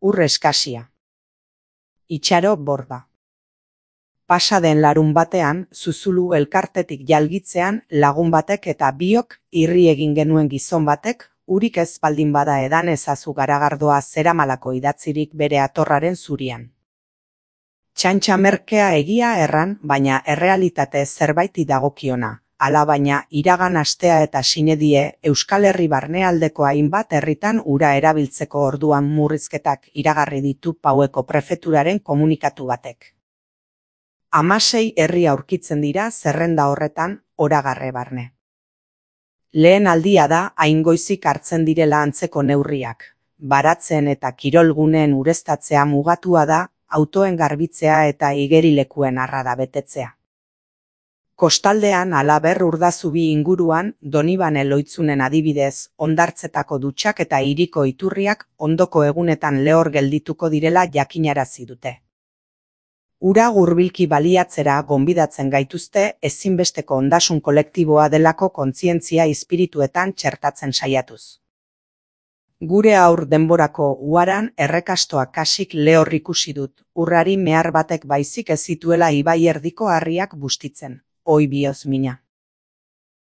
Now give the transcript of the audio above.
Ur eskasia. Itxaro borda. Pasa den larun batean, Zuzulu elkartetik jalgitzean lagun batek eta biok irri egin genuen gizon batek, urik ez baldin bada edan ezazu garagardoa zeramalako idatzirik bere atorraren zurian. Txantxa merkea egia erran, baina errealitate zerbaiti dagokiona. Hala baina, iragan astea eta sinedie Euskal Herri barnealdeko hainbat herritan ura erabiltzeko orduan murrizketak iragarri ditu Paueko prefeturaren komunikatu batek. 16 herri aurkitzen dira zerrenda horretan oragarre barne. Lehen aldia da hain goizik hartzen direla antzeko neurriak. Baratzen eta kirolguneen ureztatzea mugatua da, autoen garbitzea eta igerilekuen arrada betetzea. Kostaldean halaber Urdazubi inguruan, Donibane Loitzunen adibidez, hondartzetako dutxak eta hiriko iturriak ondoko egunetan lehor geldituko direla jakinarazi dute. Ura hurbilki baliatzera gonbidatzen gaituzte ezinbesteko ondasun kolektiboa delako kontzientzia espirituetan txertatzen saiatuz. Gure aur denborako uaran errekastoak kasik lehor ikusi dut, urrari mehar batek baizik ez zituela ibai erdiko harriak bustitzen. Oi bioz mina.